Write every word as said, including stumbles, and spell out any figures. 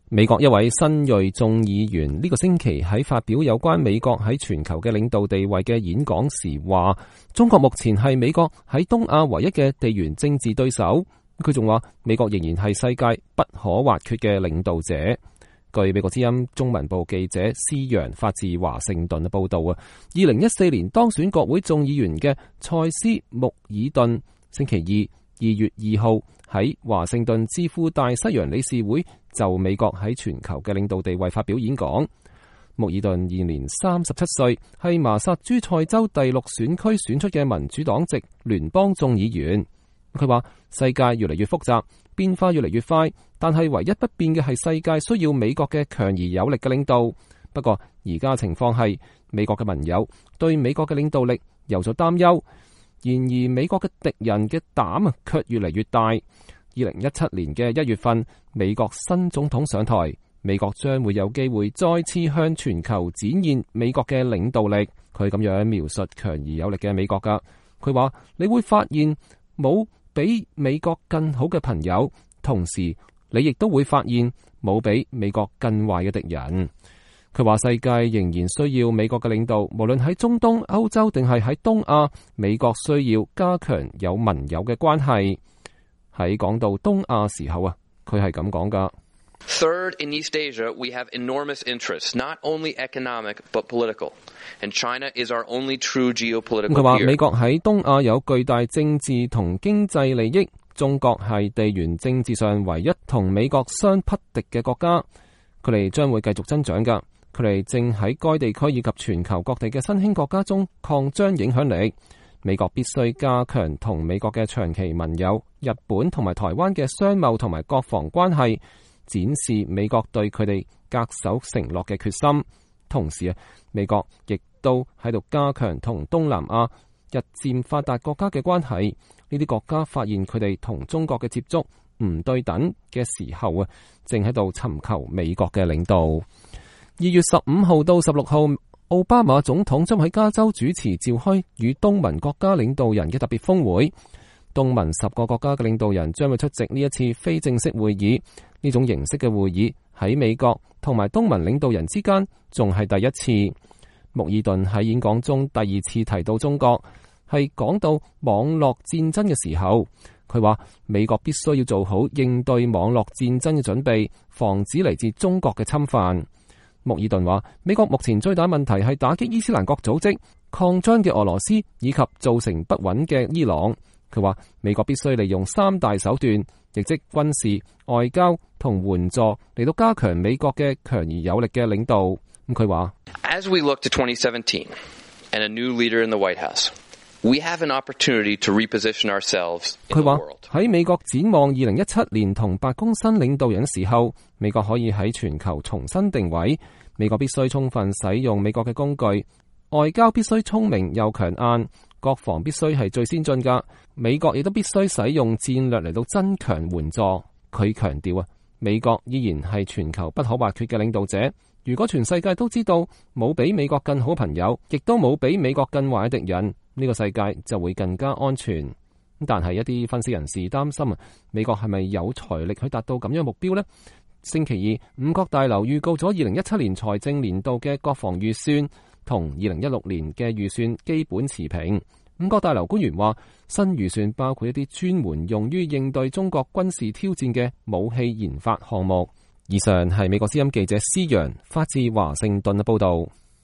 美國一位新銳眾議員呢個星期喺發表有關美國喺全球嘅領導地位嘅演講時話，中國目前係美國喺東亞唯一嘅地緣政治對手。佢仲話，美國仍然係世界不可或缺嘅領導者。據美國之音中文部記者施洋發自華盛頓嘅報道啊，二零一四年當選國會眾議員嘅塞斯穆爾頓星期二二月二號喺華盛頓智庫大西洋理事會就美國喺全球嘅領導地位發表演講。穆爾頓現年三十七歲，係麻薩諸塞州第六選區選出嘅民主黨籍聯邦眾議員。佢話世界越嚟越複雜，變化越嚟越快，但係唯一不變嘅係世界需要美國嘅強而有力嘅領導。不過而家情況係美國嘅盟友對美國嘅領導力有咗擔憂，然而美國嘅敵人嘅膽啊卻越嚟越大。二零一七年嘅一月份，美國新總統上台，美國將會有機會再次向全球展現美國嘅領導力。佢咁樣描述強而有力嘅美國噶，佢話你會發現冇比美國更好嘅朋友，同時你亦都會發現冇比美國更壞嘅敵人。佢話世界仍然需要美國嘅領導，無論喺中東、歐洲定係喺東亞，美國需要加強有盟友嘅關係。喺講到東亞時候啊，佢係咁講噶。Third, in East Asia, we have enormous interests, not only economic but political, and China is our only true geopolitical peer. 佢話美國喺東亞有巨大政治同經濟利益，中國係地緣政治上唯一同美國相匹敵嘅國家，佢哋將會繼續增長噶。佢哋正喺該地區以及全球各地嘅新興國家中擴張影響力。美國必須加強同美國嘅長期盟友日本同埋台灣嘅商貿同埋國防關係，展示美國對佢哋恪守承諾嘅決心。同時啊，美國亦都喺度加強同東南亞日漸發達國家嘅關係。呢啲國家發現佢哋同中國嘅接觸唔對等嘅時候啊，正喺度尋求美國嘅領導。二月十五號到十六號，奧巴馬總統將喺加州主持召開與東盟國家領導人嘅特別峰會。東盟十個國家嘅領導人將會出席呢一次非正式會議。呢種形式嘅會議喺美國同埋東盟領導人之間仲係第一次。穆爾頓喺演講中第二次提到中國，係講到網絡戰爭嘅時候，佢話美國必須要做好應對網絡戰爭嘅準備，防止嚟自中國嘅侵犯。穆爾頓話美國目前最大問題係打擊伊斯蘭國組織、擴張嘅俄羅斯以及造成不穩嘅伊朗。佢話美國必須利用三大手段，亦即軍事、外交同援助嚟到加強美國嘅強而有力嘅領導。咁佢話 As we look to twenty seventeen and a new leader in the White House, we have an opportunity to reposition ourselves in the world. 佢話喺美國展望二零一七年同白宮新領導人嘅時候，美國可以喺全球重新定位。美國必須充分使用美國嘅工具，外交必須聰明又強硬，國防必須係最先進噶。美國亦都必須使用戰略嚟到增強援助。佢強調啊，美國依然係全球不可或缺嘅領導者。如果全世界都知道冇比美國更好朋友，亦都冇比美國更壞嘅敵人，呢個世界就會更加安全。但係一啲分析人士擔心啊，美國係咪有財力去達到咁樣目標呢？星期二，五角大樓預告咗二零一七年財政年度嘅國防預算同二零一六年嘅預算基本持平。五角大樓官員話，新預算包括一啲專門用於應對中國軍事挑戰嘅武器研發項目。以上係美國之音記者施洋發自華盛頓嘅報道。